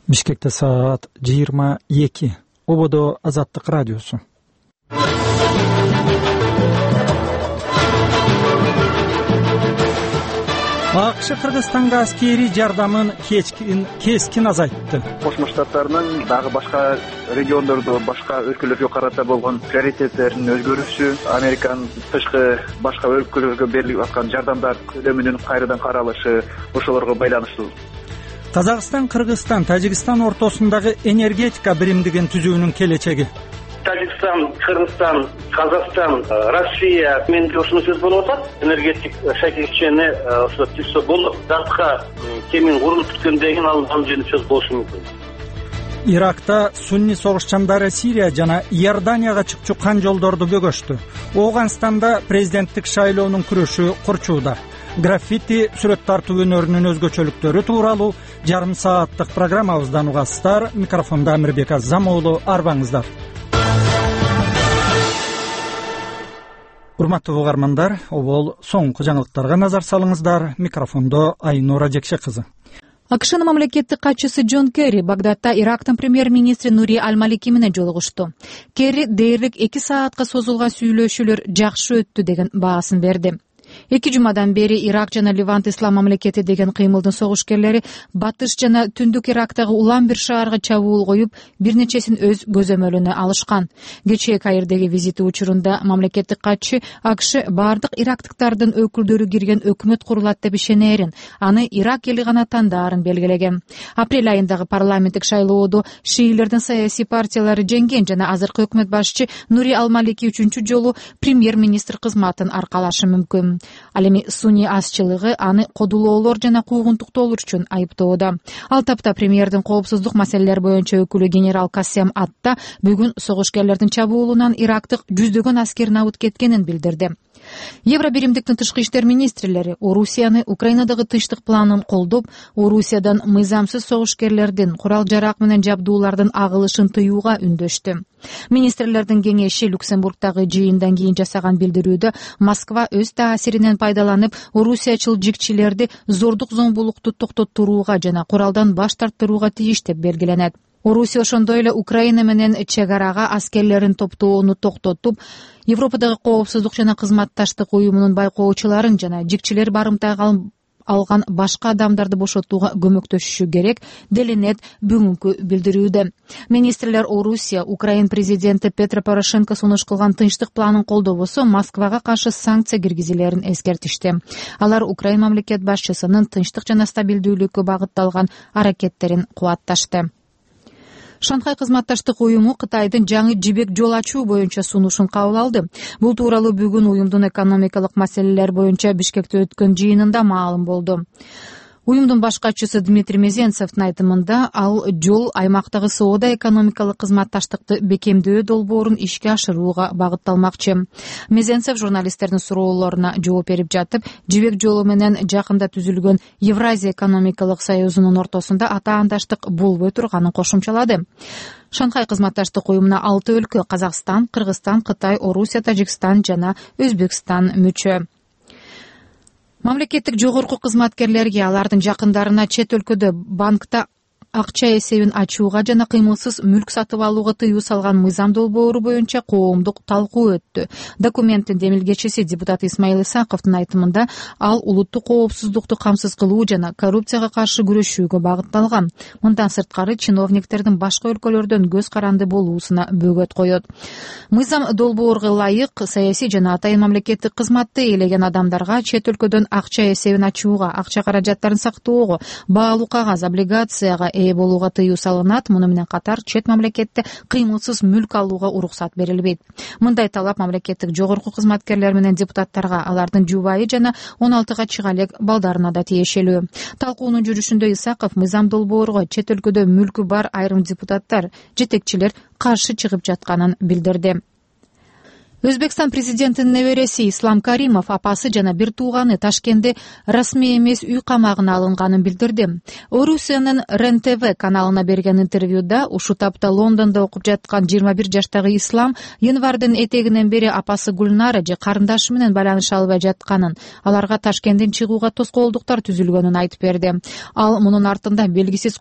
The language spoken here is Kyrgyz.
Бишкекте саат 22. Ободо Азаттык радиосу. АКШ Кыргызстанга аскерий жардамын кескин азайтты. Кошмо Штаттарынын дагы башка региондордо, башка өлкөлөргө карата болгон приоритеттеринин өзгөрүшү, Американын тышкы башка өлкөлөргө берилип аткан жардамдар көлөмүнүн кайрадан каралышы ошолорго байланыштуу. Казакстан, Кыргызстан, Тажикстан ортосундагы энергетика биримдигин түзүүнүн келечеги. Тажикстан, Кыргызстан, Казакстан, Россия менде ушуну сөз болуп атат. Энергетик шакекчени ошо түзсө болот. Датка кемин курулуп бүткөндөн кийин ал жөнүндө сөз болушу мүмкүн. Иракта сунни согушчандары Сирия жана Иорданияга чыкчу кан жолдорду бөгөштү. Ооганстанда президенттик шайлоонун күрөшү курчууда. Граффити, сүрөт тартуу өнөрүнүн өзгөчөлүктөрү тууралуу жарым сааттык программабыздан угасыздар. Микрофондо Амирбек Азам уулу, арбаңыздар. Урматтуу угармандар, обол соңку жаңылыктарга назар салыңыздар. Микрофондо Айнура Жекше кызы. АКШнын мамлекеттик катчысы Джон Керри Багдадта Ирактын премьер-министри Нури Аль-Малики менен жолугушту. Керри дээрлик 2 саатка созулган сүйлөшүүлөр жакшы өттү деген баасын берди. 2 жумадан бери Ирак жана Ливант ислам мамлекети деген кыймылдын согушкерлери батыш жана түндүк Ирактагы улам бир шаарга чабуул коюп, бир нечесин өз көзөмөлүнө алышкан. Кечээ Каирдеги визити учурунда мамлекеттик катчы АКШ бардык ирактыктардын өкүлдөрү кирген өкмөт курулат деп ишенерин, аны Ирак эли гана тандаарын белгилеген. Апрель айындагы парламенттик шайлоодо шиилердин саясий партиялары жеңген жана азыркы өкмөт башчы Нури Аль-Малики 3-чү жолу премьер-министр кызматын аркалашы мүмкүн. Ал эми сунний азчылыгы аны кодулоолор жана куугунтуктоолор үчүн айыптоодо. Ал тапта премьердин коопсуздук маселелер боюнча өкүлү генерал Касем Атта бүгүн согушкерлердин чабуулунан Ирактык жүздөгөн аскер набыт кеткенин билдирди. Евро биримдиктин тышкы иштер министрлери Орусияны Украинадагы тынчтык планын колдоп, Орусиядан мыйзамсыз согушкерлердин курал-жарак менен жабдуулардын агылышын тыюуга үндөштү. Министрлердин кеңеши Люксембургдагы жыйындан кийин жасаган билдирүүдө Москва өз таасиринен пайдаланып, орусиячыл жигчилерди зордук зомбулукту токтотурууга жана куралдан баш тарттырууга тийиш деп белгиленет. Орусия ошондой эле Украина менен чек арага аскерлерин топтоону токтотуп, Европадагы коопсуздук жана кызматташтык уюмунун байкоочуларын жана жигчилер барымтайга алган башка адамдарды бошотууга көмөктөшүшү керек делинет бүгүнкү билдирүүдө. Министрлер Орусия, Украин президенти Петро Порошенко сунуш кылган тынчтык планын колдобосо Москвага каршы санкция киргизилерин эскертишти. Алар Украин мамлекет башчысынын тынчтык жана стабилдүүлүккө багытталган аракеттерин кубатташты. Шанхай кызматташтык уюму Кытайдын жаңы жибек жол ачуу боюнча сунушун кабыл алды. Бул тууралуу бүгүн уюмдун экономикалык маселелер боюнча Бишкекте өткөн жыйынында маалым болду. Уюмдун баш катчысы Дмитрий Мезенцевдин айтымында ал жол аймактагы соода-экономикалык кызматташтыкты бекемдөө долбоорун ишке ашырууга багытталмакчы. Мезенцев журналисттердин суроолоруна жооп берип жатып, жибек жолу менен жакында түзүлгөн Евразия экономикалык союзунун ортосунда атаандаштык болбой турганын кошумчалады. Шанхай кызматташтык уюмуна 6 өлкө — Казакстан, Кыргызстан, Кытай, Орусия, Тажикстан жана Өзбекстан мүчө. Мамлекеттик жогорку кызматкерлерге алардын жакындарына чет өлкөдө банкта акча эсебин ачууга жана кыймылсыз мүлк сатып алууга тыюу салган мыйзам долбоору боюнча коомдук талкуу өттү. Документтин демилгечиси депутат Исмаил Исаковдун айтымында ал улуттук коопсуздукту камсыз кылуу жана коррупцияга каршы күрөшүүгө багытталган. Мындан сырткары чиновниктердин башка өлкөлөрдөн көз каранды болуусуна бөгөт коет. Мыйзам долбоорго ылайык саясий жана атайын мамлекеттик кызматты ээлеген адамдарга чет өлкөдөн акча эсебин ачууга, акча каражаттарын сактоого, баалуу кагаз, облигацияга ээ болууга тыюу салынат. Муну менен катар чет мамлекетте кыймылсыз мүлк алууга уруксат берилбейт. Мындай талап мамлекеттик жогорку кызматкерлер менен депутаттарга, алардын жубайы жана 16 чыга элек балдарына да тиешелүү. Талкуунун жүрүшүндө Исаков мыйзам долбоорго чет өлкөдө мүлкү бар айрым депутаттар, жетекчилер каршы чыгып жатканын билдирди. Өзбекстан президентинин небереси Ислам Каримов апасы жана бир тууганы Ташкентте расмий эмес үй камагына алынганын билдирди. Орусиянын РЕН-ТВ каналына берген интервьюда ушу тапта Лондондо окуп жаткан 21 жаштагы Ислам январдын этегинен бери апасы Гүлнара же карындашы менен байланыша албай жатканын, аларга Ташкенттен чыгууга тоскоолдуктар түзүлгөнүн айтып берди. Ал мунун артында белгисиз